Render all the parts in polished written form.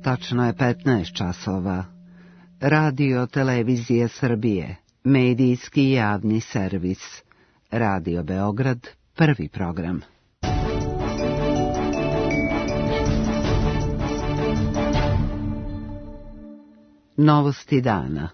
Tačno je 15 časova. Radio Televizije Srbije, medijski javni servis. Radio Beograd, prvi program. Novosti dana.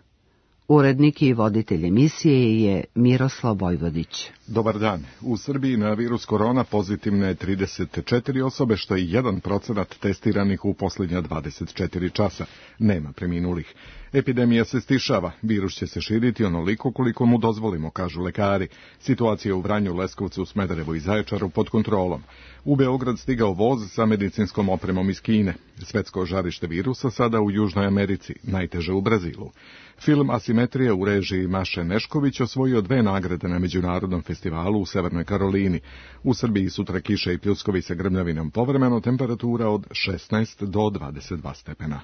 Urednik i voditelj emisije je Miroslav Vojvodić. Dobar dan. U Srbiji na virus korona pozitivne je 34 osobe, što je 1% testiranih u posljednja 24 časa. Nema preminulih. Epidemija se stišava, virus će se širiti onoliko koliko mu dozvolimo, kažu lekari. Situacija u Vranju, Leskovcu, Smederevu i Zaječaru pod kontrolom. U Beograd stigao voz sa medicinskom opremom iz Kine. Svetsko žarište virusa sada u Južnoj Americi, najteže u Brazilu. Film Asimetrija u režiji Maše Nešković osvojio 2 nagrade na međunarodnom festivalu u Severnoj Karolini. U Srbiji sutra kiše i pljuskovi sa grmljavinom, povremeno temperatura od 16 do 22 stepena.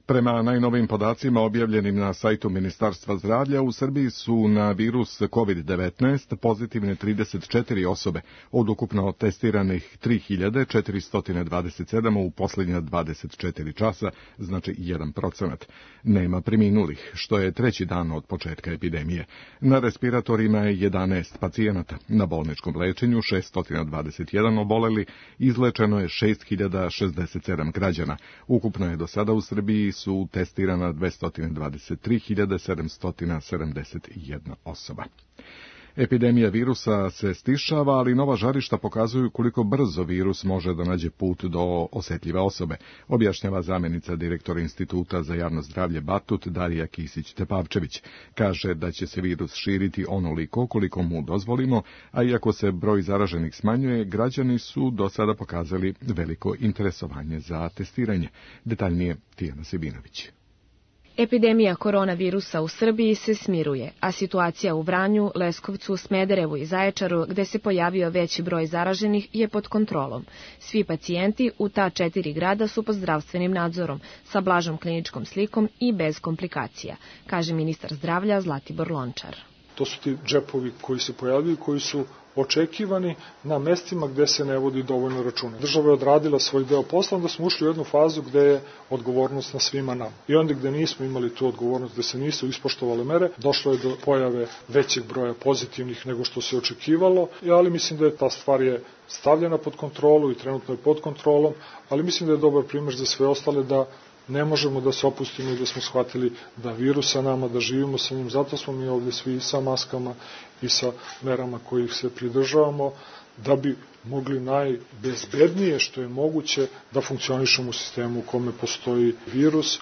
Prema najnovim podacima objavljenim na sajtu Ministarstva zdravlja, u Srbiji su na virus COVID-19 pozitivne 34 osobe, od ukupno testiranih 3427 u posljednja 24 časa, znači 1%. Nema preminulih, što je 3. dan od početka epidemije. Na respiratorima je 11 pacijenata, na bolničkom lečenju 621 oboleli, izlečeno je 6067 građana. Ukupno je do sada u Srbiji su testirana 223.771 osoba. Epidemija virusa se stišava, ali nova žarišta pokazuju koliko brzo virus može da nađe put do osjetljive osobe, objašnjava zamjenica direktora Instituta za javno zdravlje Batut Darija Kisić-Tepavčević. Kaže da će se virus širiti onoliko koliko mu dozvolimo, a iako se broj zaraženih smanjuje, građani su do sada pokazali veliko interesovanje za testiranje. Detaljnije Tijana Sibinović. Epidemija koronavirusa u Srbiji se smiruje, a situacija u Vranju, Leskovcu, Smederevu i Zaječaru, gde se pojavio veći broj zaraženih, je pod kontrolom. Svi pacijenti u ta 4 grada su pod zdravstvenim nadzorom, sa blažom kliničkom slikom i bez komplikacija, kaže ministar zdravlja Zlatibor Lončar. To su ti džepovi koji se pojavljaju, koji su očekivani na mestima gde se ne vodi dovoljno računa. Država je odradila svoj deo posla, onda smo ušli u jednu fazu gde je odgovornost na svima nama. I onda gde nismo imali tu odgovornost, gde se nisu ispoštovale mere, došlo je do pojave većeg broja pozitivnih nego što se očekivalo, ali mislim da je ta stvar je stavljena pod kontrolu i trenutno je pod kontrolom, ali mislim da je dobar primjer za sve ostale da ne možemo da se opustimo i da smo shvatili da virus sa nama, da živimo sa njim, zato smo mi ovdje svi sa maskama i sa merama kojih se pridržavamo, da bi mogli najbezbednije što je moguće da funkcionišemo u sistemu u kome postoji virus.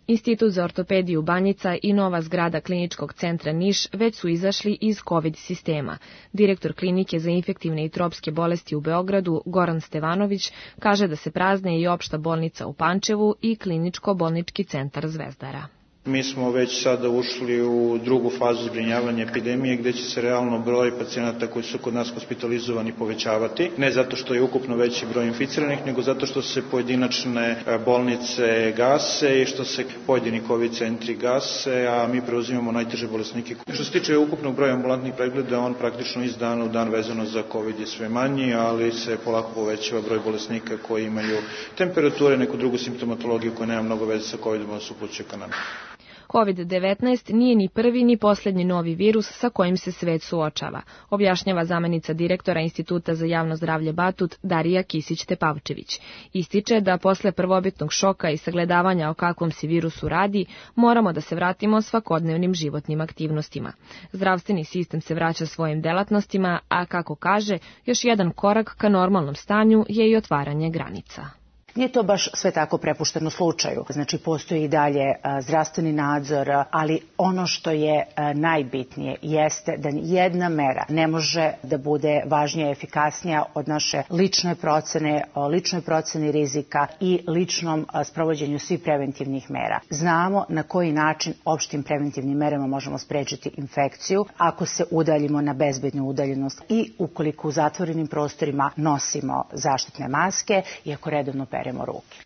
Institut za ortopediju Banjica i nova zgrada Kliničkog centra Niš već su izašli iz COVID sistema. Direktor klinike za infektivne i tropske bolesti u Beogradu, Goran Stevanović, kaže da se prazne i opšta bolnica u Pančevu i kliničko-bolnički centar Zvezdara. Mi smo već sada ušli u drugu fazu zbrinjavanja epidemije gdje će se realno broj pacijenata koji su kod nas hospitalizovani povećavati. Ne zato što je ukupno veći broj inficiranih, nego zato što se pojedinačne bolnice gase i što se pojedini COVID centri gase, a mi preuzimamo najteže bolesnike. Što se tiče ukupnog broja ambulantnih pregleda, on praktično iz dana u dan vezano za COVID je sve manji, ali se polako povećava broj bolesnika koji imaju temperature, neku drugu simptomatologiju koja nema mnogo veze sa COVID-om, da se upućuje ka nama. COVID-19 nije ni prvi ni posljednji novi virus sa kojim se svet suočava, objašnjava zamjenica direktora Instituta za javno zdravlje Batut Darija Kisić-Tepavčević. Ističe da posle prvobitnog šoka i sagledavanja o kakvom se virusu radi, moramo da se vratimo svakodnevnim životnim aktivnostima. Zdravstveni sistem se vraća svojim delatnostima, a kako kaže, još jedan korak ka normalnom stanju je i otvaranje granica. Nije to baš sve tako prepušteno slučaju. Znači, postoji i dalje zdravstveni nadzor, ali ono što je najbitnije jeste da jedna mera ne može da bude važnija i efikasnija od naše ličnoj proceni rizika i ličnom sprovođenju svih preventivnih mera. Znamo na koji način opštim preventivnim merama možemo sprečiti infekciju ako se udaljimo na bezbednu udaljenost i ukoliko u zatvorenim prostorima nosimo zaštitne maske i ako redovno peremo ruke.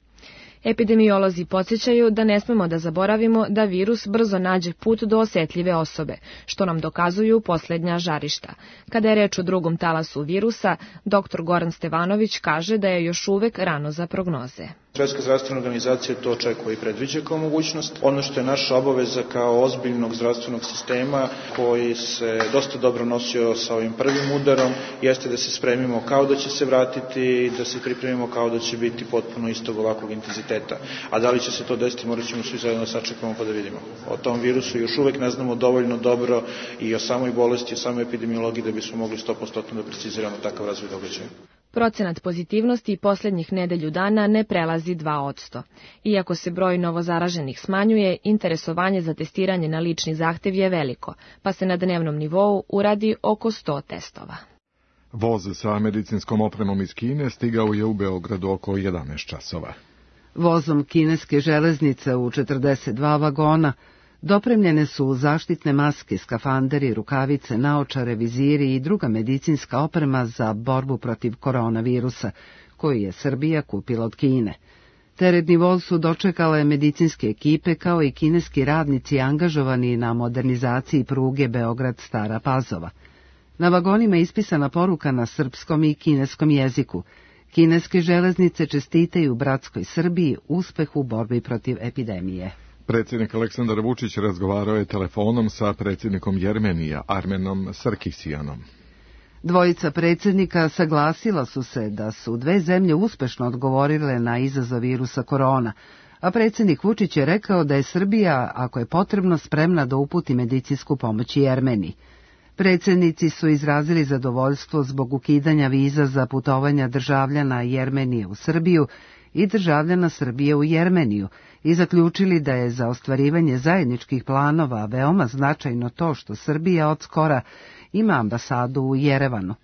Epidemiolozi podsjećaju da ne smemo da zaboravimo da virus brzo nađe put do osetljive osobe, što nam dokazuju poslednja žarišta. Kada je reč o drugom talasu virusa, dr. Goran Stevanović kaže da je još uvek rano za prognoze. Svetska zdravstvena organizacija to očekuje i predviđa kao mogućnost. Ono što je naša obaveza kao ozbiljnog zdravstvenog sistema koji se dosta dobro nosio sa ovim prvim udarom, jeste da se spremimo kao da će se vratiti i da se pripremimo kao da će biti potpuno istog ovakvog intenziteta. A da li će se to desiti, morat ćemo svi zajedno sačekamo pa da vidimo. O tom virusu još uvek ne znamo dovoljno dobro i o samoj bolesti, o samoj epidemiologiji da bismo mogli 100% da preciziramo takav razvoj događaja. Procenat pozitivnosti poslednjih nedelju dana ne prelazi 2%. Iako se broj novozaraženih smanjuje, interesovanje za testiranje na lični zahtev je veliko, pa se na dnevnom nivou uradi oko 100 testova. Voz sa medicinskom opremom iz Kine stigao je u Beogradu oko 11 časova. Vozom kineske železnice u 42 vagona dopremljene su zaštitne maske, skafanderi, rukavice, naočare, viziri i druga medicinska oprema za borbu protiv koronavirusa, koju je Srbija kupila od Kine. Teretni voz su dočekale medicinske ekipe kao i kineski radnici angažovani na modernizaciji pruge Beograd-Stara Pazova. Na vagonima je ispisana poruka na srpskom i kineskom jeziku. Kineske železnice čestitaju bratskoj Srbiji uspeh u borbi protiv epidemije. Predsjednik Aleksandar Vučić razgovarao je telefonom sa predsjednikom Jermenija, Armenom Sarkisijanom. Dvojica predsjednika saglasila su se da su dve zemlje uspešno odgovorile na izazov virusa korona, a predsjednik Vučić je rekao da je Srbija, ako je potrebno, spremna da uputi medicinsku pomoć Jermeniji. Predsjednici su izrazili zadovoljstvo zbog ukidanja viza za putovanja državljana Jermenije u Srbiju i državljana Srbije u Jermeniju i zaključili da je za ostvarivanje zajedničkih planova veoma značajno to što Srbija od skora ima ambasadu u Jerevanu.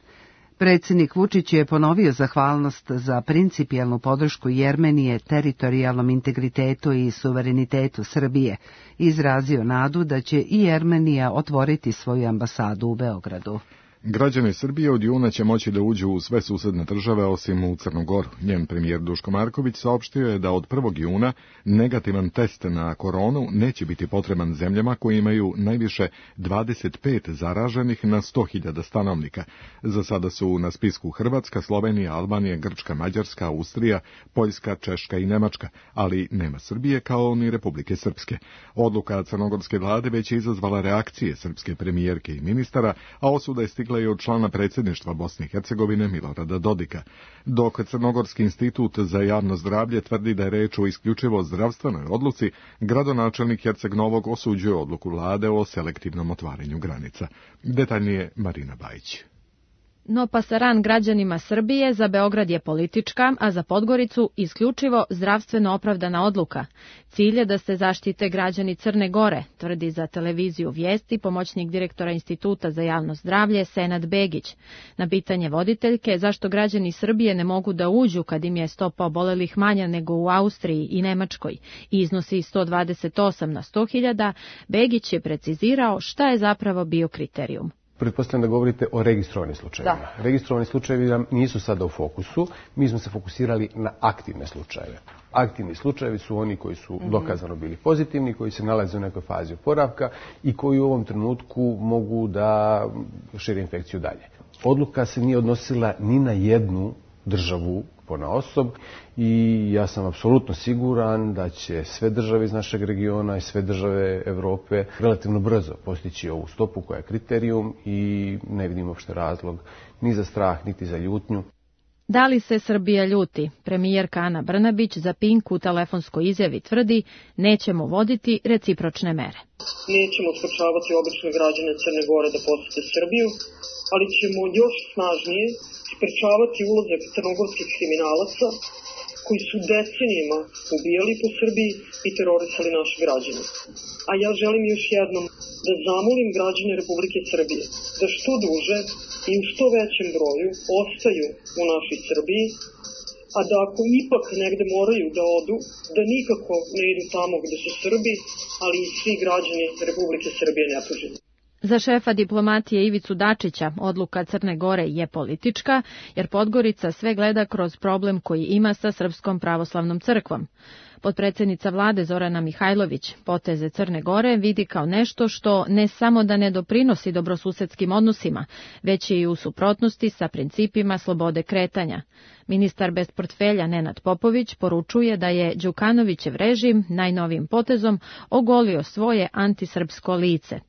Predsjednik Vučić je ponovio zahvalnost za principijelnu podršku Jermenije teritorijalnom integritetu i suverenitetu Srbije i izrazio nadu da će i Jermenija otvoriti svoju ambasadu u Beogradu. Građani Srbije od juna će moći da uđu u sve susedne države osim u Crnu Goru. Njen premijer Duško Marković saopštio je da od 1. juna negativan test na koronu neće biti potreban zemljama koje imaju najviše 25 zaraženih na 100.000 stanovnika. Za sada su na spisku Hrvatska, Slovenija, Albanija, Grčka, Mađarska, Austrija, Poljska, Češka i Nemačka, ali nema Srbije kao ni Republike Srpske. Odluka crnogorske vlade već je izazvala reakcije srpske premijerke i ministara, a osuda je stigla i od člana predsjedništva Bosne i Hercegovine Milorada Dodika. Dok Crnogorski institut za javno zdravlje tvrdi da je reč o isključivo zdravstvenoj odluci, gradonačelnik Herceg Novog osuđuje odluku vlade o selektivnom otvaranju granica. Detaljnije Marina Bajić. No pasaran građanima Srbije za Beograd je politička, a za Podgoricu isključivo zdravstveno opravdana odluka. Cilj je da se zaštite građani Crne Gore, tvrdi za televiziju Vijesti pomoćnik direktora Instituta za javno zdravlje Senad Begić. Na pitanje voditeljke zašto građani Srbije ne mogu da uđu kad im je stopa obolelih manja nego u Austriji i Nemačkoj i iznosi 128 na 100.000, Begić je precizirao šta je zapravo bio kriterijum. Pretpostavljam da govorite o registrovanim slučajevima. Da. Registrovani slučajevi nam nisu sada u fokusu. Mi smo se fokusirali na aktivne slučajeve. Aktivni slučajevi su oni koji su dokazano bili pozitivni, koji se nalaze u nekoj fazi oporavka i koji u ovom trenutku mogu da šire infekciju dalje. Odluka se nije odnosila ni na jednu državu ponaosob i ja sam apsolutno siguran da će sve države iz našeg regiona i sve države Evrope relativno brzo postići ovu stopu koja je kriterijum i ne vidim uopšte razlog ni za strah, niti za ljutnju. Da li se Srbija ljuti? Premijerka Ana Brnabić za Pink u telefonskoj izjavi tvrdi nećemo voditi recipročne mere. Nećemo sprečavati obične građane Crne Gore da posete Srbiju, ali ćemo još snažnije sprečavati ulazak crnogorskih kriminalaca koji su decenijima ubijali po Srbiji i terorisali naše građane. A ja želim još jednom da zamolim građane Republike Srbije da što duže i u što većem broju ostaju u našoj Srbiji, a da ako ipak negde moraju da odu, da nikako ne idu tamo gde su Srbi, ali i svi građani Republike Srbije nepoželjni. Za šefa diplomatije Ivicu Dačića odluka Crne Gore je politička, jer Podgorica sve gleda kroz problem koji ima sa Srpskom pravoslavnom crkvom. Potpredsjednica vlade Zorana Mihajlović poteze Crne Gore vidi kao nešto što ne samo da ne doprinosi dobrosusedskim odnosima, već je i u suprotnosti sa principima slobode kretanja. Ministar bez portfelja Nenad Popović poručuje da je Đukanovićev režim najnovijim potezom ogolio svoje antisrpsko lice.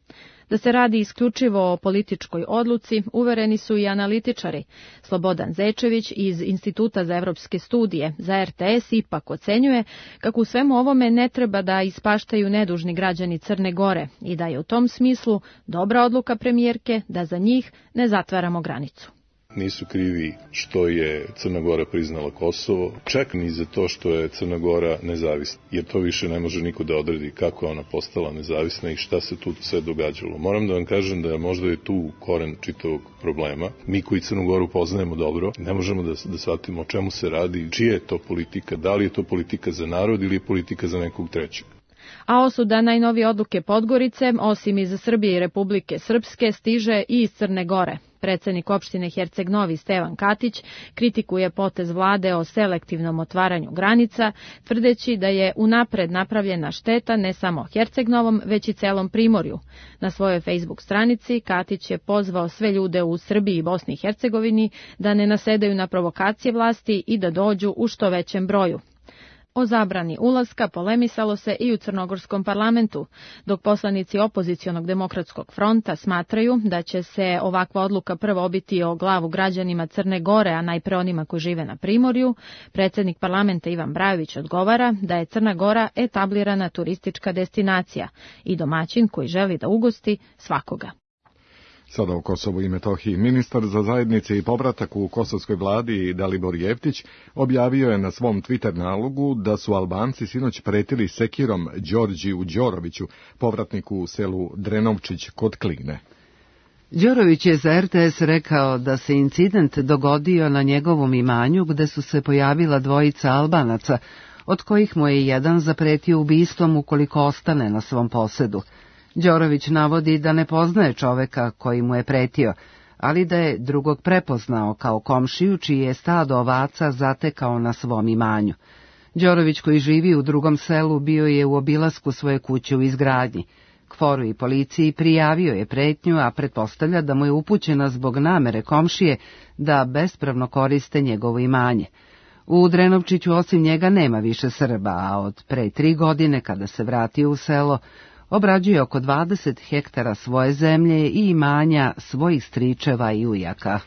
Da se radi isključivo o političkoj odluci, uvereni su i analitičari. Slobodan Zečević iz Instituta za evropske studije za RTS ipak ocenjuje kako u svemu ovome ne treba da ispaštaju nedužni građani Crne Gore i da je u tom smislu dobra odluka premijerke da za njih ne zatvaramo granicu. Nisu krivi što je Crna Gora priznala Kosovo, čak ni za to što je Crna Gora nezavisna, jer to više ne može niko da odredi kako je ona postala nezavisna i šta se tu sve događalo. Moram da vam kažem da možda je tu koren čitavog problema. Mi koji Crnu Goru poznajemo dobro, ne možemo da shvatimo o čemu se radi, čija je to politika, da li je to politika za narod ili je politika za nekog trećeg. A osuda najnovije odluke Podgorice, osim iz Srbije i Republike Srpske, stiže i iz Crne Gore. Predsjednik opštine Herceg Novi Stevan Katić kritikuje potez vlade o selektivnom otvaranju granica, tvrdeći da je unapred napravljena šteta ne samo Herceg Novom, već i celom Primorju. Na svojoj Facebook stranici Katić je pozvao sve ljude u Srbiji i Bosni i Hercegovini da ne nasedaju na provokacije vlasti i da dođu u što većem broju. O zabrani ulaska polemisalo se i u crnogorskom parlamentu, dok poslanici opozicionog demokratskog fronta smatraju da će se ovakva odluka prvo obiti o glavu građanima Crne Gore, a najpre onima koji žive na Primorju. Predsjednik parlamenta Ivan Brajović odgovara da je Crna Gora etablirana turistička destinacija i domaćin koji želi da ugosti svakoga. Sada o Kosovu i Metohiji. Ministar za zajednice i povratak u kosovskoj vladi Dalibor Jeftić objavio je na svom Twitter nalogu da su Albanci sinoć pretili sekirom Đorđiju Đoroviću, povratniku u selu Drenovčić kod Kline. Đorović je za RTS rekao da se incident dogodio na njegovom imanju gde su se pojavila dvojica Albanaca, od kojih mu je jedan zapretio ubistvom ukoliko ostane na svom posedu. Đorović navodi da ne poznaje čoveka koji mu je pretio, ali da je drugog prepoznao kao komšiju čiji je stado ovaca zatekao na svom imanju. Đorović, koji živi u drugom selu, bio je u obilasku svoje kuće u izgradnji. KFOR-u i policiji prijavio je pretnju, a pretpostavlja da mu je upućena zbog namere komšije da bespravno koriste njegovo imanje. U Drenovčiću osim njega nema više Srba, a od pre 3 godine, kada se vratio u selo, obrađuje oko 20 hektara svoje zemlje i imanja svojih stričeva i ujaka.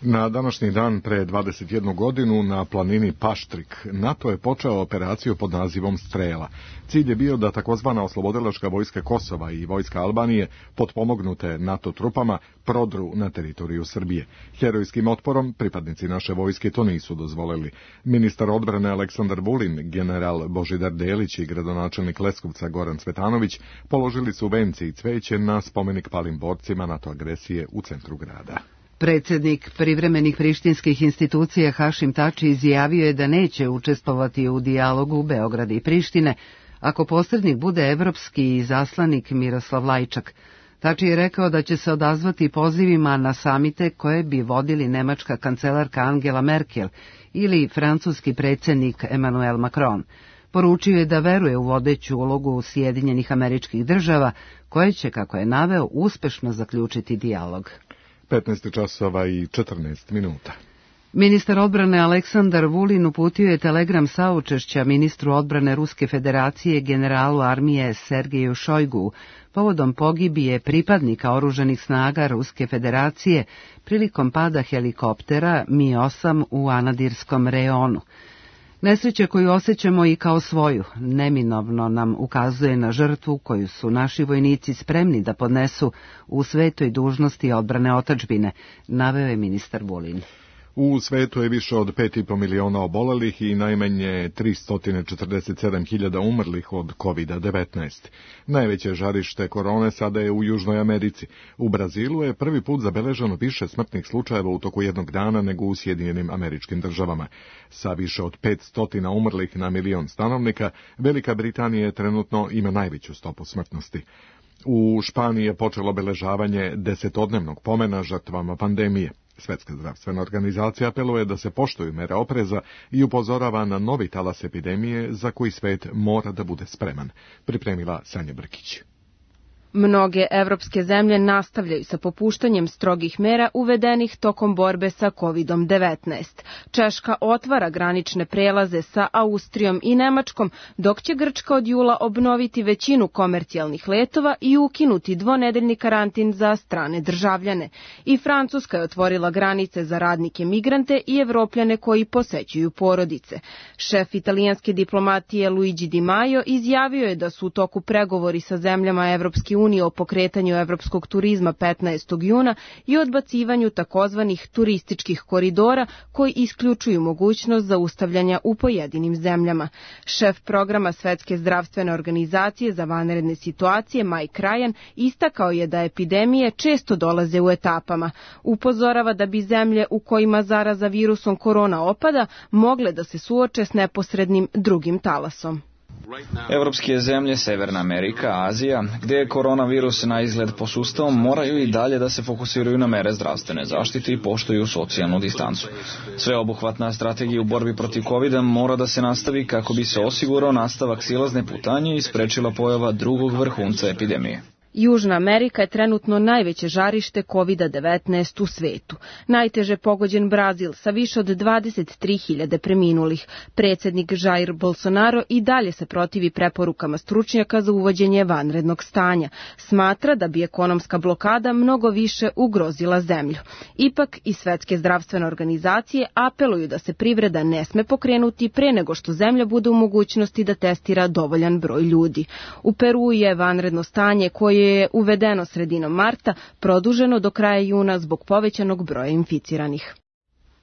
Na današnji dan pre 21 godinu na planini Paštrik NATO je počeo operaciju pod nazivom Strela. Cilj je bio da takozvana oslobodilačka vojska Kosova i vojska Albanije, potpomognute NATO trupama, prodru na teritoriju Srbije. Herojskim otporom pripadnici naše vojske to nisu dozvolili. Ministar odbrane Aleksandar Vulin, general Božidar Delić i gradonačelnik Leskovca Goran Cvetanović položili su vence i cveće na spomenik palim borcima NATO agresije u centru grada. Predsjednik privremenih prištinskih institucija Hašim Tači izjavio je da neće učestvovati u dijalogu Beograda i Prištine ako posrednik bude evropski izaslanik Miroslav Lajčak. Tači je rekao da će se odazvati pozivima na samite koje bi vodili nemačka kancelarka Angela Merkel ili francuski predsjednik Emmanuel Macron. Poručio je da veruje u vodeću ulogu Sjedinjenih Američkih Država, koje će, kako je naveo, uspešno zaključiti dijalog. 15 časova i 14 minuta. Ministar odbrane Aleksandar Vulin uputio je telegram saučešća ministru odbrane Ruske federacije generalu armije Sergeju Šojgu povodom pogibije pripadnika oružanih snaga Ruske federacije prilikom pada helikoptera Mi-8 u Anadirskom reonu. Nesreća koju osjećamo i kao svoju neminovno nam ukazuje na žrtvu koju su naši vojnici spremni da podnesu u svetoj dužnosti odbrane otadžbine, naveo je ministar Vulin. U svetu je više od 5,5 miliona obolelih i najmanje 347.000 umrlih od COVID-19. Najveće žarište korone sada je u Južnoj Americi. U Brazilu je prvi put zabeleženo više smrtnih slučajeva u toku jednog dana nego u Sjedinjenim Američkim Državama. Sa više od 500 umrlih na milion stanovnika, Velika Britanija trenutno ima najveću stopu smrtnosti. U Španiji je počelo obeležavanje 10-dnevnog pomena žrtvama pandemije. Svetska zdravstvena organizacija apeluje da se poštuju mere opreza i upozorava na novi talas epidemije za koji svet mora da bude spreman, pripremila Sanja Brkić. Mnoge evropske zemlje nastavljaju sa popuštanjem strogih mera uvedenih tokom borbe sa COVID-19. Češka otvara granične prelaze sa Austrijom i Nemačkom, dok će Grčka od jula obnoviti većinu komercijalnih letova i ukinuti dvonedeljni karantin za strane državljane. I Francuska je otvorila granice za radnike migrante i Evropljane koji posećuju porodice. Šef italijanske diplomatije Luigi Di Maio izjavio je da su u toku pregovori sa zemljama Evropske unije o pokretanju evropskog turizma 15. juna i odbacivanju takozvanih turističkih koridora koji isključuju mogućnost zaustavljanja u pojedinim zemljama. Šef programa Svetske zdravstvene organizacije za vanredne situacije Mike Ryan istakao je da epidemije često dolaze u etapama. Upozorava da bi zemlje u kojima zaraza virusom korona opada mogle da se suoče s neposrednim drugim talasom. Evropske zemlje, Severna Amerika, Azija, gdje je koronavirus na izgled posustao, moraju i dalje da se fokusiraju na mere zdravstvene zaštite i poštuju socijalnu distancu. Sveobuhvatna strategija u borbi protiv COVID-a mora da se nastavi kako bi se osigurao nastavak silazne putanje i sprečila pojava drugog vrhunca epidemije. Južna Amerika je trenutno najveće žarište COVID-19 u svetu. Najteže pogođen Brazil sa više od 23.000 preminulih. Predsjednik Jair Bolsonaro i dalje se protivi preporukama stručnjaka za uvođenje vanrednog stanja. Smatra da bi ekonomska blokada mnogo više ugrozila zemlju. Ipak i Svetske zdravstvene organizacije apeluju da se privreda ne sme pokrenuti pre nego što zemlja bude u mogućnosti da testira dovoljan broj ljudi. U Peru je vanredno stanje koje je uvedeno sredinom marta, produženo do kraja juna zbog povećanog broja inficiranih.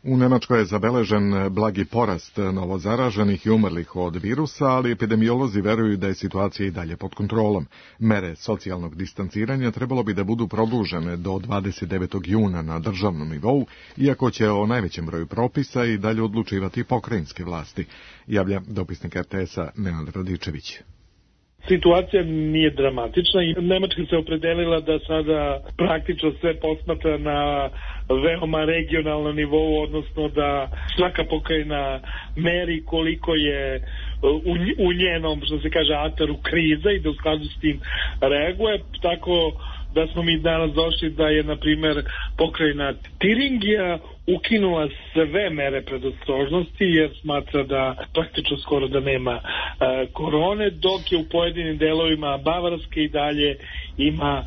U Nemačkoj je zabeležen blagi porast novozaraženih i umrlih od virusa, ali epidemiolozi veruju da je situacija i dalje pod kontrolom. Mere socijalnog distanciranja trebalo bi da budu produžene do 29. juna na državnom nivou, iako će o najvećem broju propisa i dalje odlučivati pokrajinske vlasti, javlja dopisnik RTS-a Nenad Radičević. Situacija nije dramatična i Nemačka se opredelila da sada praktično sve posmatra na veoma regionalnom nivou, odnosno da svaka pokrajina meri koliko je u njenom, što se kaže, ataru kriza i da u skladu s tim reaguje, tako da smo mi danas došli da je, na primjer, pokrajina Tiringija ukinula sve mere predostrožnosti jer smatra da praktično skoro da nema korone, dok je u pojedinim delovima Bavarske i dalje ima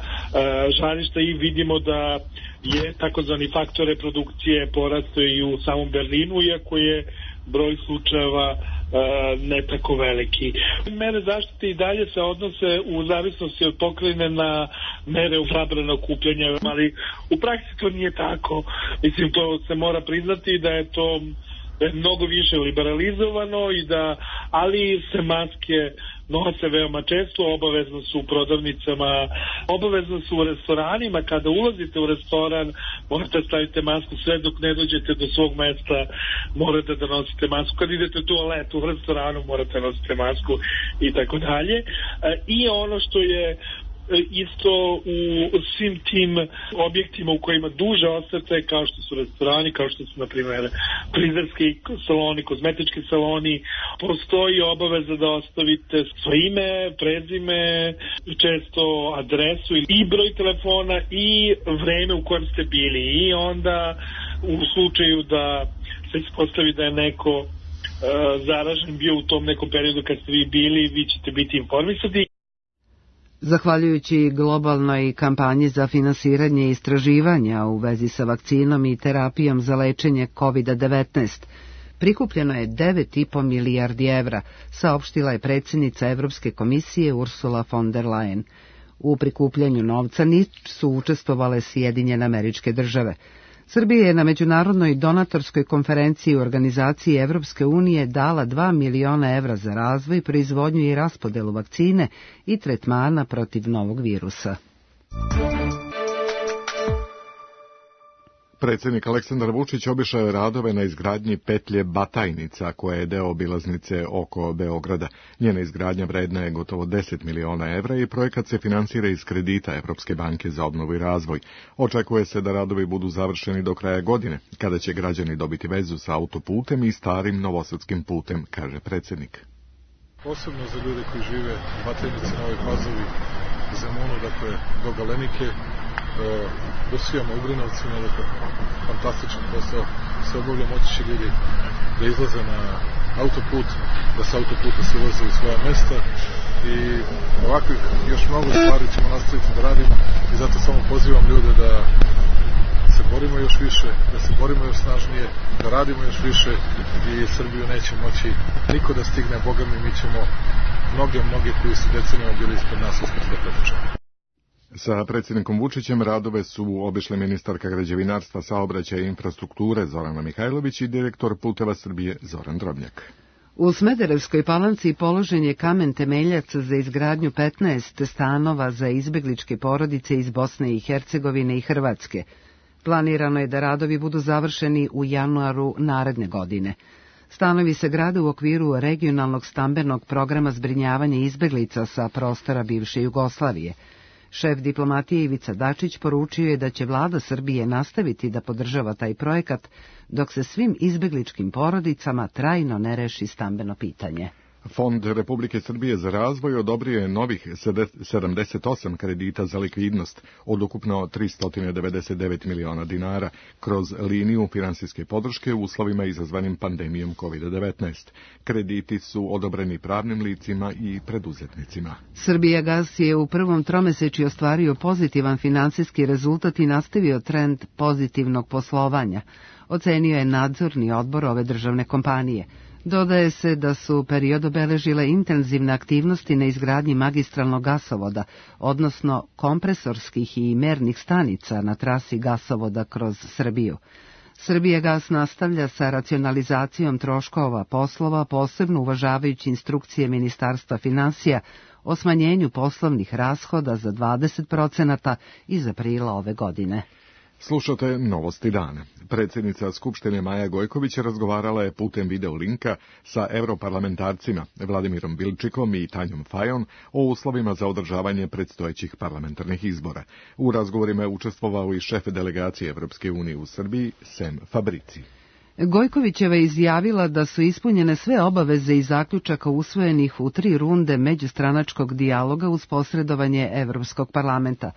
žarišta i vidimo da je takozvani faktor reprodukcije porastao i u samom Berlinu, iako je broj slučajeva ne tako veliki. Mere zaštite i dalje se odnose u zavisnosti od pokrajine na mere zabrane okupljanja, ali u praksi to nije tako. Mislim, to se mora priznati da je to mnogo više liberalizovano i da, ali se maske nose veoma često, obavezno su u prodavnicama, obavezno su u restoranima. Kada ulazite u restoran, morate staviti masku, sve dok ne dođete do svog mesta, morate da nosite masku. Kad idete u toalet u restoranu, morate da nosite masku i tako dalje. I ono što je isto u svim tim objektima u kojima duže ostajete, kao što su restorani, kao što su, na primjer, frizerski saloni, kozmetički saloni, postoji obaveza da ostavite svoje ime, prezime, često adresu i broj telefona i vreme u kojem ste bili. I onda u slučaju da se ispostavi da je neko zaražen bio u tom nekom periodu kad ste vi bili, vi ćete biti informisani. Zahvaljujući globalnoj kampanji za finansiranje istraživanja u vezi sa vakcinom i terapijom za lečenje COVID-19, prikupljeno je 9,5 milijardi evra, saopštila je predsjednica Evropske komisije Ursula von der Leyen. U prikupljanju novca nisu učestvovale Sjedinjene Američke Države. Srbija je na međunarodnoj donatorskoj konferenciji u organizaciji Evropske unije dala 2 miliona evra za razvoj, proizvodnju i raspodelu vakcine i tretmana protiv novog virusa. Predsjednik Aleksandar Vučić obišao je radove na izgradnji petlje Batajnica, koja je deo obilaznice oko Beograda. Njena izgradnja vredna je gotovo 10 miliona evra i projekat se finansira iz kredita Evropske banke za obnovu i razvoj. Očekuje se da radovi budu završeni do kraja godine, kada će građani dobiti vezu sa autoputem i starim novosadskim putem, kaže predsjednik. Posebno za ljude koji žive u Batajnici, Novoj Pazovi, Zemunu, dakle do Galenike, do Sijama, Ugrinovcima, dakle fantastičan posao se obavlja, moći će ljudi da izlaze na autoput, da sa autoputa se voze u svoja mesta i ovakvih još mnogo stvari ćemo nastaviti da radimo i zato samo pozivam ljude da se borimo još više, da se borimo još snažnije, da radimo još više i Srbiju neće moći niko da stigne, Boga mi ćemo mnoge koji su decenijama bili ispred nas uspjeti da pretrčamo. Sa predsjednikom Vučićem radove su obišle ministarka građevinarstva, saobraćaja i infrastrukture Zorana Mihajlović i direktor Puteva Srbije Zoran Drobnjak. U Smederevskoj Palanci položen je kamen temeljac za izgradnju 15 stanova za izbegličke porodice iz Bosne i Hercegovine i Hrvatske. Planirano je da radovi budu završeni u januaru naredne godine. Stanovi se grade u okviru regionalnog stambenog programa zbrinjavanja izbeglica sa prostora bivše Jugoslavije. Šef diplomatije Ivica Dačić poručio je da će vlada Srbije nastaviti da podržava taj projekat dok se svim izbegličkim porodicama trajno ne reši stambeno pitanje. Fond Republike Srbije za razvoj odobrio je novih 78 kredita za likvidnost od ukupno 399 miliona dinara kroz liniju finansijske podrške u uslovima izazvanim pandemijom COVID-19. Krediti su odobreni pravnim licima i preduzetnicima. Srbijagas je u prvom tromesečju ostvario pozitivan finansijski rezultat i nastavio trend pozitivnog poslovanja, ocenio je nadzorni odbor ove državne kompanije. Dodaje se da su period obeležile intenzivne aktivnosti na izgradnji magistralnog gasovoda, odnosno kompresorskih i mernih stanica na trasi gasovoda kroz Srbiju. Srbijagas nastavlja sa racionalizacijom troškova poslova, posebno uvažavajući instrukcije Ministarstva finansija o smanjenju poslovnih rashoda za 20% iz aprila ove godine. Slušate Novosti dana. Predsjednica Skupštine Maja Gojković razgovarala je putem video linka sa europarlamentarcima Vladimirom Bilčikom i Tanjom Fajon o uslovima za održavanje predstojećih parlamentarnih izbora. U razgovorima je učestvovao i šef delegacije Evropske unije u Srbiji, Sem Fabrici. Gojkovićeva je izjavila da su ispunjene sve obaveze i zaključaka usvojenih u 3 runde međustranačkog dijaloga uz posredovanje Evropskog parlamenta.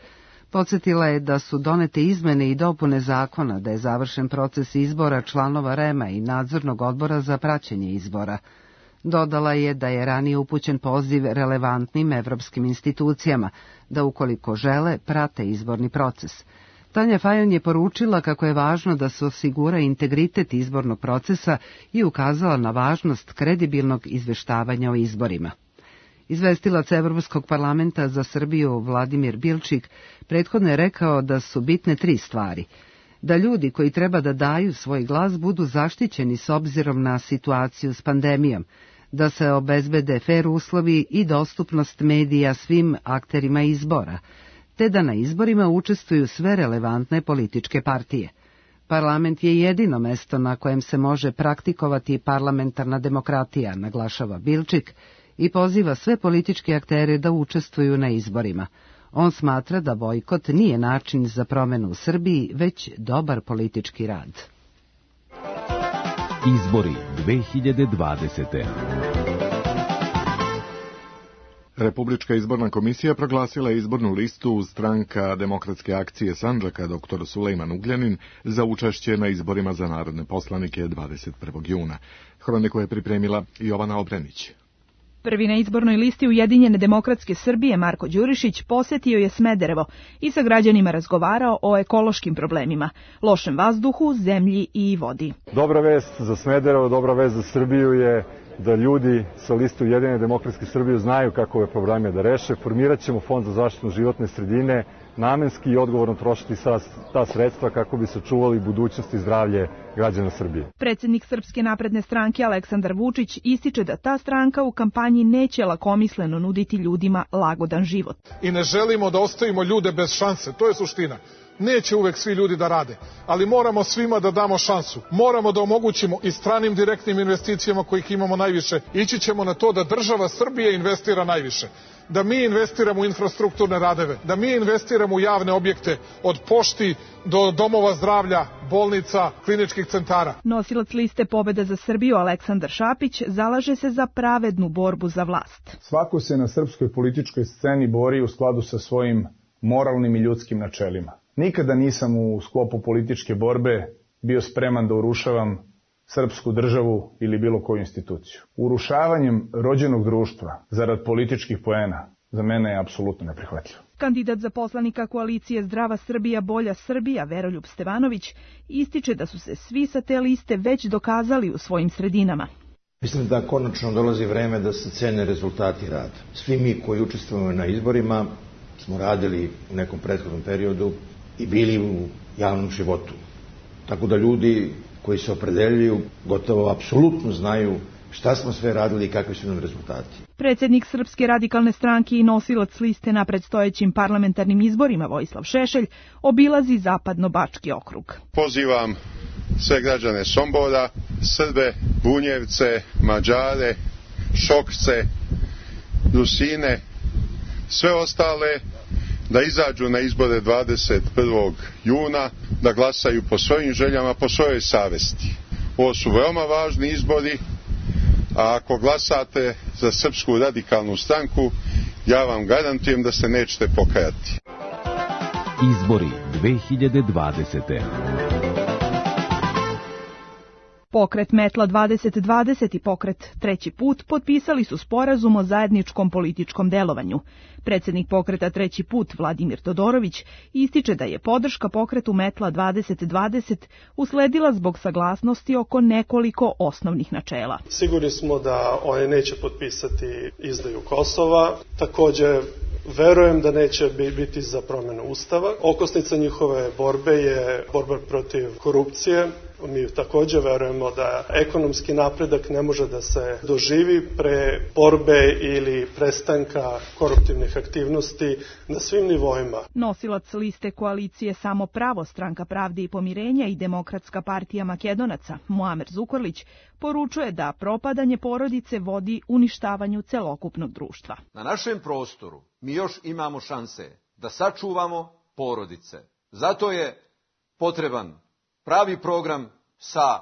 Podsjetila je da su donete izmene i dopune zakona, da je završen proces izbora članova REM-a i nadzornog odbora za praćenje izbora. Dodala je da je ranije upućen poziv relevantnim evropskim institucijama, da ukoliko žele, prate izborni proces. Tanja Fajon je poručila kako je važno da se osigura integritet izbornog procesa i ukazala na važnost kredibilnog izveštavanja o izborima. Izvestilac Evropskog parlamenta za Srbiju Vladimir Bilčik prethodno je rekao da su bitne 3 stvari. Da ljudi koji treba da daju svoj glas budu zaštićeni s obzirom na situaciju s pandemijom, da se obezbede fer uslovi i dostupnost medija svim akterima izbora, te da na izborima učestvuju sve relevantne političke partije. Parlament je jedino mesto na kojem se može praktikovati parlamentarna demokratija, naglašava Bilčik, i poziva sve političke aktere da učestvuju na izborima. On smatra da bojkot nije način za promenu u Srbiji, već dobar politički rad. Izbori 2020. Republička izborna komisija proglasila izbornu listu Stranka demokratske akcije Sandžaka dr. Sulejman Ugljanin za učešće na izborima za narodne poslanike 21. juna. Hroniku je pripremila Jovana Obrenić. Prvi na izbornoj listi Ujedinjene demokratske Srbije Marko Đurišić posetio je Smederevo i sa građanima razgovarao o ekološkim problemima, lošem vazduhu, zemlji i vodi. Dobra vest za Smederevo, dobra vest za Srbiju je da ljudi sa liste Ujedinjene demokratske Srbije znaju kako ove probleme da reše. Formirat ćemo Fond za zaštitu životne sredine, namenski i odgovorno trošiti ta sredstva kako bi sačuvali budućnost i zdravlje građana Srbije. Predsjednik Srpske napredne stranke Aleksandar Vučić ističe da ta stranka u kampanji neće lakomisleno nuditi ljudima lagodan život. I ne želimo da ostavimo ljude bez šanse, to je suština. neće uvek svi ljudi da rade, ali moramo svima da damo šansu. Moramo da omogućimo i stranim direktnim investicijama kojih imamo najviše. Ići ćemo na to da država Srbije investira najviše. Da mi investiramo u infrastrukturne radeve, da mi investiramo u javne objekte, od pošti do domova zdravlja, bolnica, kliničkih centara. Nosilac liste Pobeda za Srbiju Aleksandar Šapić zalaže se za pravednu borbu za vlast. Svako se na srpskoj političkoj sceni bori u skladu sa svojim moralnim i ljudskim načelima. Nikada nisam u sklopu političke borbe bio spreman da urušavam srpsku državu ili bilo koju instituciju. Urušavanjem rođenog društva zarad političkih poena za mene je apsolutno neprihvatljivo. Kandidat za poslanika koalicije Zdrava Srbija, Bolja Srbija, Veroljub Stevanović, ističe da su se svi sa te liste već dokazali u svojim sredinama. Mislim da konačno dolazi vreme da se cene rezultati rada. Svi mi koji učestvujemo na izborima smo radili u nekom prethodnom periodu i bili u javnom životu. Tako da ljudi koji se opredeljuju gotovo apsolutno znaju šta smo sve radili i kakvi su nam rezultati. Predsjednik Srpske radikalne stranke i nosilac liste na predstojećim parlamentarnim izborima Vojislav Šešelj obilazi Zapadno-Bački okrug. Pozivam sve građane Sombora, Srbe, Bunjevce, Mađare, Šokce, Rusine, sve ostale da izađu na izbore 21. juna, da glasaju po svojim željama, po svojoj savesti. Ovo su veoma važni izbori, a ako glasate za Srpsku radikalnu stranku, ja vam garantujem da se nećete pokajati. Izbori 2020. Pokret Metla 2020 i pokret Treći put potpisali su sporazum o zajedničkom političkom delovanju. Predsjednik pokreta Treći put Vladimir Todorović ističe da je podrška pokretu Metla 2020 usledila zbog saglasnosti oko nekoliko osnovnih načela. Sigurni smo da oni neće potpisati izdaju Kosova, također verujem da neće biti za promjenu Ustava. Okosnica njihove borbe je borba protiv korupcije. Mi također verujemo da ekonomski napredak ne može da se doživi pre borbe ili prestanka koruptivnih aktivnosti na svim nivoima. Nosilac liste koalicije Samo pravo, Stranka pravde i pomirenja i Demokratska partija Makedonaca, Muamer Zukorlić, poručuje da propadanje porodice vodi uništavanju celokupnog društva. Na našem prostoru mi još imamo šanse da sačuvamo porodice. Zato je potreban pravi program sa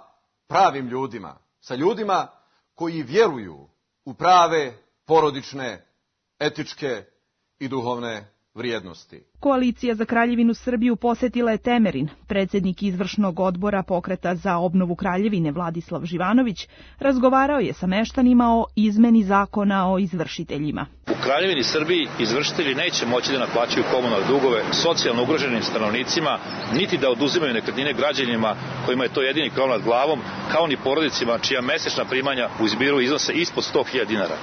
pravim ljudima, sa ljudima koji vjeruju u prave porodične, etičke i duhovne vrijednosti. Koalicija za Kraljevinu Srbiju posjetila je Temerin. Predsjednik izvršnog odbora Pokreta za obnovu Kraljevine Vladislav Živanović razgovarao je sa meštanima o izmeni zakona o izvršiteljima. U Kraljevini Srbiji izvršitelji neće moći da naplaćuju komunalne dugove socijalno ugroženim stanovnicima, niti da oduzimaju nekretnine građanima kojima je to jedini krov nad glavom, kao ni porodicima čija mesečna primanja u izbiru iznose ispod 100.000 dinara.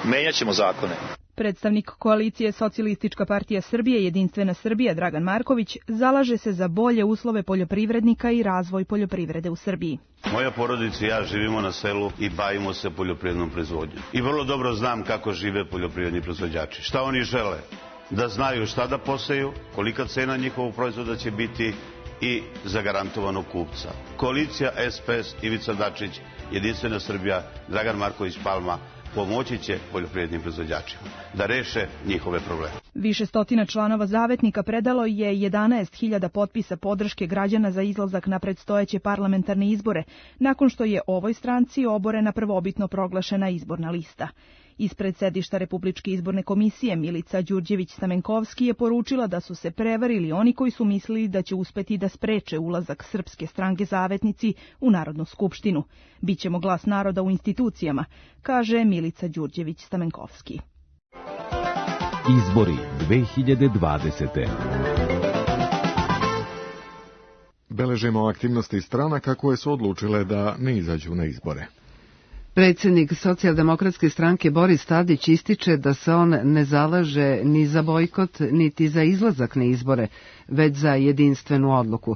Menjaćemo zakone. Predstavnik koalicije Socijalistička partija Srbije Jedinstvena Srbija Dragan Marković zalaže se za bolje uslove poljoprivrednika i razvoj poljoprivrede u Srbiji. Moja porodica i ja živimo na selu i bavimo se poljoprivrednom proizvodnjom. I vrlo dobro znam kako žive poljoprivredni proizvođači. Šta oni žele? Da znaju šta da poseju, kolika cena njihovog proizvoda će biti i zagarantovanog kupca. Koalicija SPS, Ivica Dačić, Jedinstvena Srbija, Dragan Marković Palma pomoći će poljoprivrednim proizvođačima da reše njihove probleme. Više stotina članova Zavetnika predalo je 11.000 potpisa podrške građana za izlazak na predstojeće parlamentarne izbore, nakon što je ovoj stranci oborena prvobitno proglašena izborna lista. Ispred sedišta Republičke izborne komisije Milica Đurđević-Stamenkovski je poručila da su se prevarili oni koji su mislili da će uspeti da spreče ulazak Srpske stranke Zavetnici u Narodnu skupštinu. Bićemo glas naroda u institucijama, kaže Milica Đurđević-Stamenkovski. Izbori 2020. Beležimo aktivnosti stranaka koje su odlučile da ne izađu na izbore. Predsjednik Socijaldemokratske stranke Boris Tadić ističe da se on ne zalaže ni za bojkot, niti za izlazak na izbore, već za jedinstvenu odluku.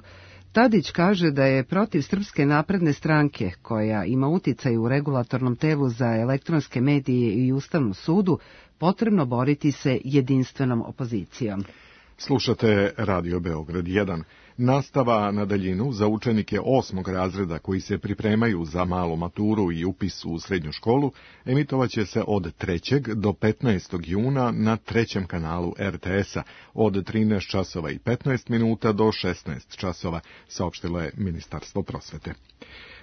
Tadić kaže da je protiv Srpske napredne stranke, koja ima uticaj u regulatornom telu za elektronske medije i Ustavnom sudu, potrebno boriti se jedinstvenom opozicijom. Slušate Radio Beograd 1. Nastava na daljinu za učenike 8. razreda koji se pripremaju za malu maturu i upis u srednju školu emitovaće se od 3. do 15. juna na 3. kanalu RTS-a od 13 časova i 15 minuta do 16 časova, saopštilo je Ministarstvo prosvete.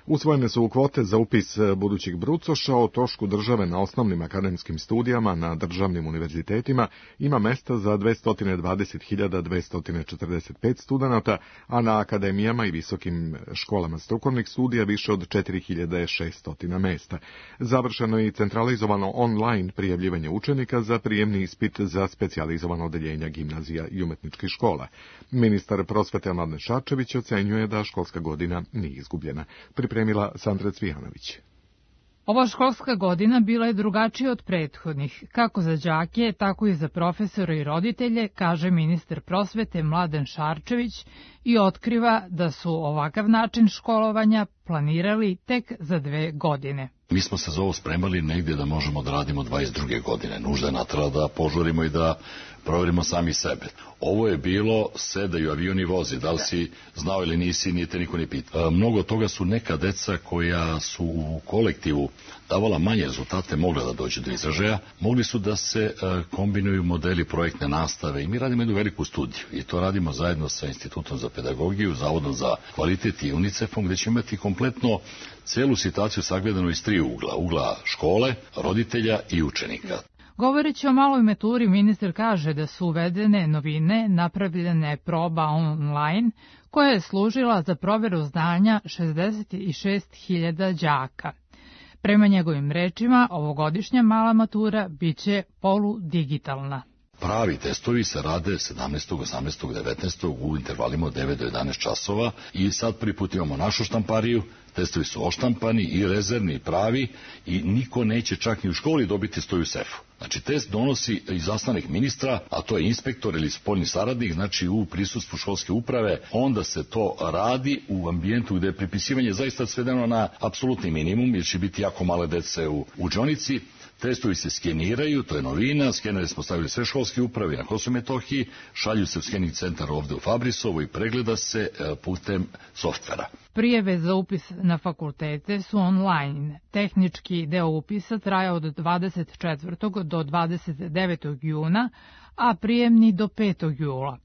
Usvojene su kvote za upis budućih brucoša. O trošku države na osnovnim akademskim studijama na državnim univerzitetima ima mesta za 220.245 studenata, a na akademijama i visokim školama strukovnih studija više od 4.600 mesta. Završeno je i centralizovano online prijavljivanje učenika za prijemni ispit za specijalizovano odeljenja gimnazija i umetničkih škola. Ministar prosvete Mladen Šarčević ocenjuje da školska godina nije izgubljena. Pripremila Sandra Cvijanović. Ova školska godina bila je drugačija od prethodnih, kako za đake, tako i za profesore i roditelje, kaže ministar prosvete Mladen Šarčević i otkriva da su ovakav način školovanja planirali tek za 2 godine. Mi smo se za ovo spremali negdje da možemo da radimo 22. godine. Nužda je natrala da požurimo i da proverimo sami sebe. Ovo je bilo sedaju avioni vozi, da li si znao ili nisi, nije te niko ni pitao. Mnogo toga su neka deca koja su u kolektivu davala manje rezultate, mogla da dođe do izražaja, mogli su da se kombinuju modeli projektne nastave i mi radimo jednu veliku studiju i to radimo zajedno sa Institutom za pedagogiju, Zavodom za kvalitet i UNICEF-om, gde ćemo imati kompletno celu situaciju sagledanu iz 3 ugla. Ugla škole, roditelja i učenika. Govoreći o maloj maturi, ministar kaže da su uvedene novine, napravljene proba online, koja je služila za proveru znanja 66.000 đaka. Prema njegovim rečima, ovogodišnja mala matura biće poludigitalna. Pravi testovi se rade 17., 18., 19. u intervalima od 9 do 11 časova i sad prvi put imamo našu štampariju, testovi su oštampani i rezervni i pravi i niko neće čak ni u školi dobiti stoju u sefu. Znači test donosi izaslanik ministra, a to je inspektor ili spoljni saradnik, znači u prisustvu školske uprave, onda se to radi u ambijentu gde je prepisivanje zaista svedeno na apsolutni minimum, jer će biti jako male dece u učionici. Testovi se skeniraju, to je novina, skenere smo stavili sve školske uprave na Kosovu i Metohiji, šalju se u skening centar ovde u Fabrisovo i pregleda se putem softvera. Prijave za upis na fakultete su online. Tehnički deo upisa traja od 24. do 29. juna, a prijemni do 5. jula.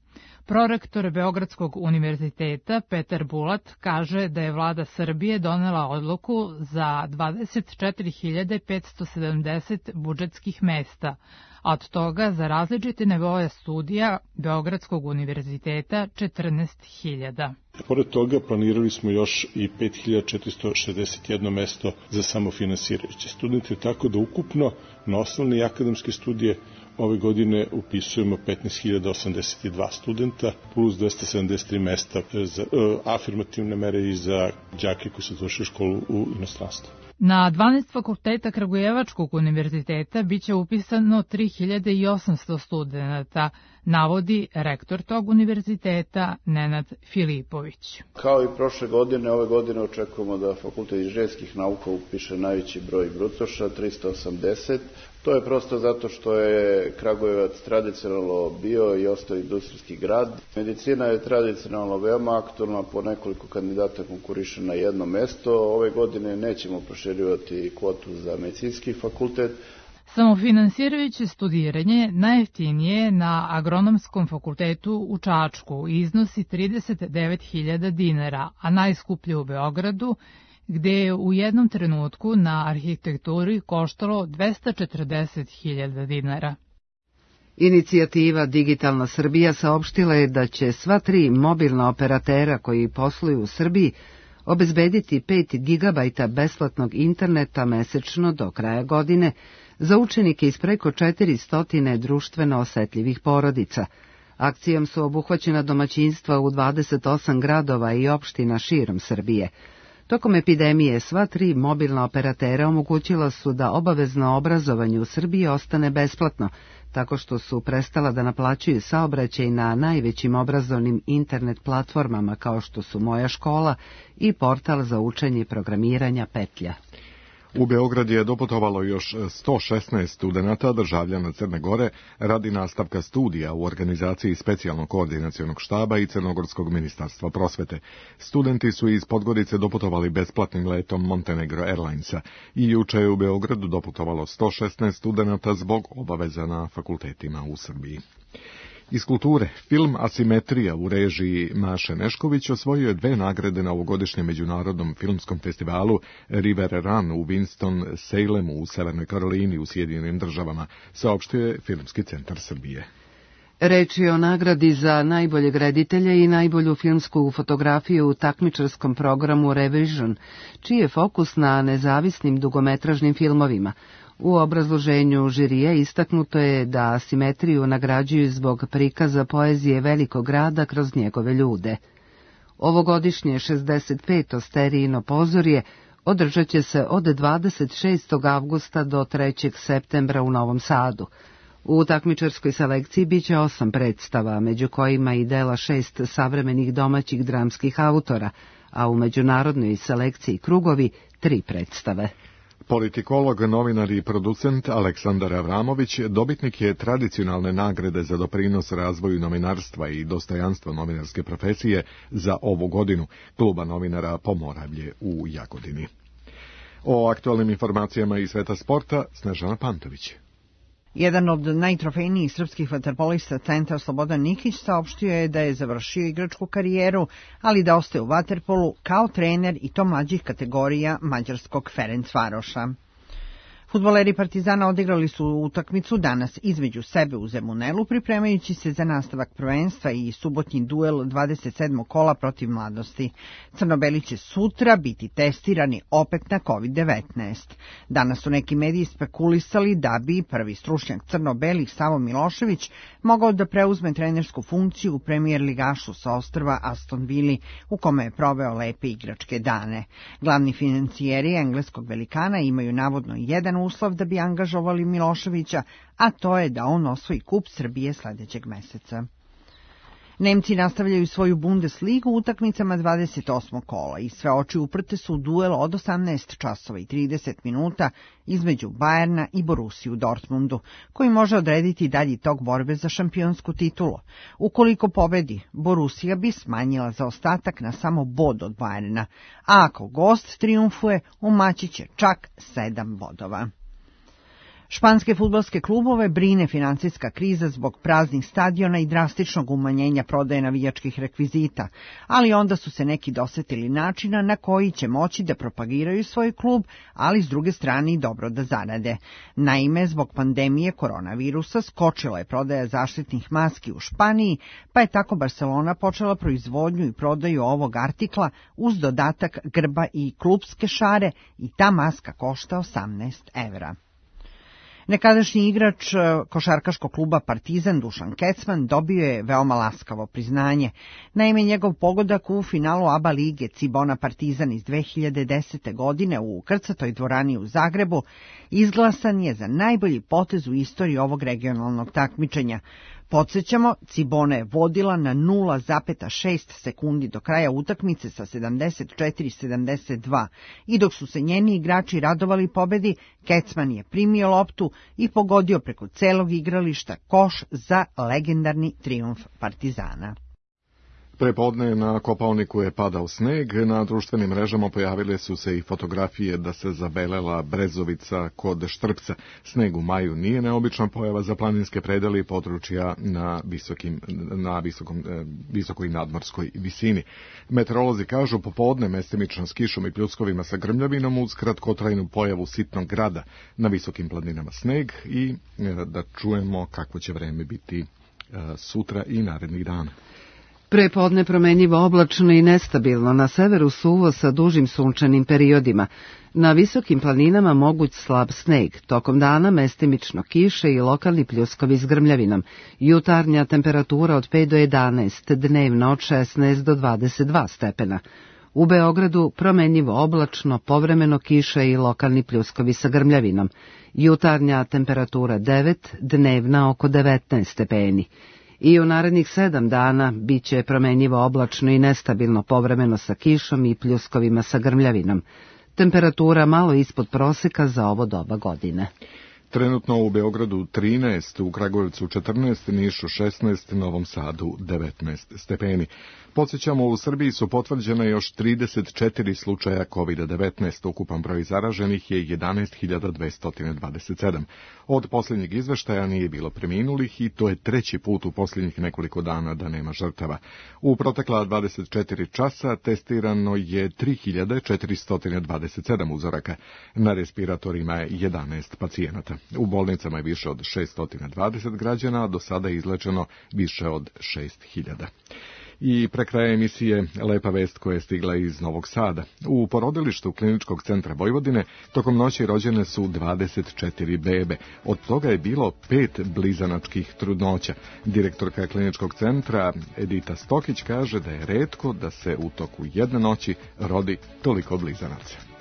Prorektor Beogradskog univerziteta Petar Bulat kaže da je vlada Srbije donela odluku za 24.570 budžetskih mesta, a od toga za različite nivoe studija Beogradskog univerziteta 14.000. Pored toga planirali smo još i 5.461 mesto za samofinansirajuće studente, tako da ukupno na osnovne i akademske studije ove godine upisujemo 15.082 studenta plus 273 mesta za afirmativne mere i za đake koji su završili školu u inostranstvu. Na 12 fakulteta Kragujevačkog univerziteta biće upisano 3.800 studenta, navodi rektor tog univerziteta Nenad Filipović. Kao i prošle godine, ove godine očekujemo da Fakultet inženjerskih nauka upiše najveći broj brucoša, 380. To je prosto zato što je Kragujevac tradicionalno bio i ostao industrijski grad. Medicina je tradicionalno veoma aktualna, po nekoliko kandidata konkuriše na jedno mesto. Ove godine nećemo proširivati kvotu za medicinski fakultet. Samofinansirajuće studiranje najjeftinije na Agronomskom fakultetu u Čačku iznosi 39.000 dinara, a najskuplje u Beogradu, gde je u jednom trenutku na arhitekturi koštalo 240.000 dinara. Inicijativa Digitalna Srbija saopštila je da će sva 3 mobilna operatera koji posluju u Srbiji obezbediti 5 gigabajta besplatnog interneta mesečno do kraja godine za učenike iz preko 400 društveno osetljivih porodica. Akcijom su obuhvaćena domaćinstva u 28 gradova i opština širom Srbije. Tokom epidemije sva 3 mobilna operatera omogućila su da obavezno obrazovanje u Srbiji ostane besplatno, tako što su prestala da naplaćuju saobraćaj na najvećim obrazovnim internet platformama kao što su Moja škola i portal za učenje programiranja Petlja. U Beograd je doputovalo još 116 studenata državljana Crne Gore radi nastavka studija u organizaciji specijalnog koordinacionog štaba i Crnogorskog ministarstva prosvete. Studenti su iz Podgorice doputovali besplatnim letom Montenegro Airlinesa i juče je u Beogradu doputovalo 116 studenata zbog obaveza na fakultetima u Srbiji. Iz kulture, film Asimetrija u režiji Maše Nešković osvojio je 2 nagrade na ovogodišnjem međunarodnom filmskom festivalu River Run u Winston-Salemu u Severnoj Karolini u Sjedinjenim Državama, saopštio je Filmski centar Srbije. Reč je o nagradi za najboljeg reditelja i najbolju filmsku fotografiju u takmičarskom programu Revision, čiji je fokus na nezavisnim dugometražnim filmovima. U obrazloženju žirije istaknuto je da Asimetriju nagrađuju zbog prikaza poezije velikog grada kroz njegove ljude. Ovogodišnje 65. sterijino pozorje održat će se od 26. avgusta do 3. septembra u Novom Sadu. U takmičarskoj selekciji biće 8 predstava, među kojima i dela 6 savremenih domaćih dramskih autora, a u međunarodnoj selekciji Krugovi 3 predstave. Politikolog, novinar i producent Aleksandar Avramović dobitnik je tradicionalne nagrade za doprinos razvoju novinarstva i dostojanstva novinarske profesije za ovu godinu Kluba novinara Pomoravlje u Jagodini. O aktualnim informacijama iz sveta sporta Snežana Pantović. Jedan od najtrofejnijih srpskih vaterpolista centar Slobodan Nikić saopštio je da je završio igračku karijeru, ali da ostaje u vaterpolu kao trener i to mlađih kategorija mađarskog Ferencvaroša. Fudbaleri Partizana odigrali su utakmicu danas između sebe u Zemunelu, pripremajući se za nastavak prvenstva i subotnji duel 27. kola protiv Mladosti. Crnobeli će sutra biti testirani opet na COVID-19. Danas su neki mediji spekulisali da bi prvi stručnjak Crnobelih Savo Milošević mogao da preuzme trenersku funkciju u premijer ligašu sa ostrva Aston Villa, u kome je proveo lepe igračke dane. Glavni financijeri engleskog velikana imaju navodno jedan uslov da bi angažovali Miloševića, a to je da on osvoji kup Srbije sledećeg meseca. Nemci nastavljaju svoju Bundesligu utakmicama 28. kola i sve oči uprte su u duel od 18 časova i 30 minuta između Bajerna i Borussije u Dortmundu, koji može odrediti dalji tok borbe za šampionsku titulu. Ukoliko pobedi, Borussija bi smanjila zaostatak na samo bod od Bajerna, a ako gost trijumfuje, umaći će čak 7 bodova. Španske fudbalske klubove brine financijska kriza zbog praznih stadiona i drastičnog umanjenja prodaje navijačkih rekvizita, ali onda su se neki dosetili načina na koji će moći da propagiraju svoj klub, ali s druge strane i dobro da zarade. Naime, zbog pandemije koronavirusa skočila je prodaja zaštitnih maski u Španiji, pa je tako Barcelona počela proizvodnju i prodaju ovog artikla uz dodatak grba i klubske šare i ta maska košta 18 evra. Nekadašnji igrač košarkaškog kluba Partizan Dušan Kecman dobio je veoma laskavo priznanje. Naime, njegov pogodak u finalu ABA lige Cibona Partizan iz 2010. godine u krcatoj dvorani u Zagrebu izglasan je za najbolji potez u istoriji ovog regionalnog takmičenja. Podsjećamo, Cibona je vodila na 0,6 sekundi do kraja utakmice sa 74-72 i dok su se njeni igrači radovali pobedi, Kecman je primio loptu i pogodio preko celog igrališta koš za legendarni trijumf Partizana. Prepodne na Kopaoniku je padao sneg, na društvenim mrežama pojavile su se i fotografije da se zabelela Brezovica kod Štrpca. Sneg u maju nije neobična pojava za planinske predele i područja na visokoj nadmorskoj visini. Meteorolozi kažu popodne mestimično s kišom i pljuskovima sa grmljavinom uz kratkotrajnu pojavu sitnog grada, na visokim planinama sneg i da čujemo kakvo će vreme biti sutra i narednih dana. Prepodne promenjivo oblačno i nestabilno, na severu suvo sa dužim sunčanim periodima. Na visokim planinama moguć slab sneg, tokom dana mestimično kiše i lokalni pljuskovi s grmljavinom. Jutarnja temperatura od 5 do 11, dnevno od 16 do 22 stepena. U Beogradu promenjivo oblačno, povremeno kiše i lokalni pljuskovi sa grmljavinom. Jutarnja temperatura 9, dnevna oko 19 stepeni. I u narednih 7 dana bit će promenjivo oblačno i nestabilno, povremeno sa kišom i pljuskovima sa grmljavinom. temperatura malo ispod proseka za ovo doba godine. Trenutno u Beogradu 13, u Kragujevcu 14, Nišu 16, Novom Sadu 19 stepeni. Podsjećamo, u Srbiji su potvrđene još 34 slučaja COVID-19, ukupan broj zaraženih je 11.227. Od posljednjeg izveštaja nije bilo preminulih i to je treći put u posljednjih nekoliko dana da nema žrtava. U protekla 24 časa testirano je 3.427 uzoraka. Na respiratorima je 11 pacijenata. U bolnicama je više od 620 građana, a do sada je izlečeno više od 6.000. I pre kraja emisije lepa vest koja je stigla iz Novog Sada. U porodilištu Kliničkog centra Vojvodine tokom noći rođene su 24 bebe. Od toga je bilo 5 blizanačkih trudnoća. Direktorka Kliničkog centra Edita Stokić kaže da je retko da se u toku jedne noći rodi toliko blizanaca.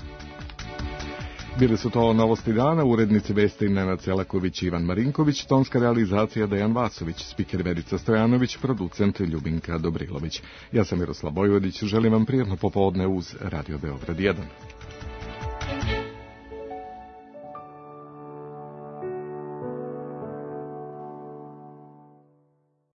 Bili su to novosti dana, urednici vesti Nenad Selaković i Ivan Marinković, tonska realizacija Dejan Vasović, spiker Verica Stojanović, producent Ljubinka Dobrilović. Ja sam Miroslav Bojvodić, želim vam prijatno popodne uz Radio Beograd 1.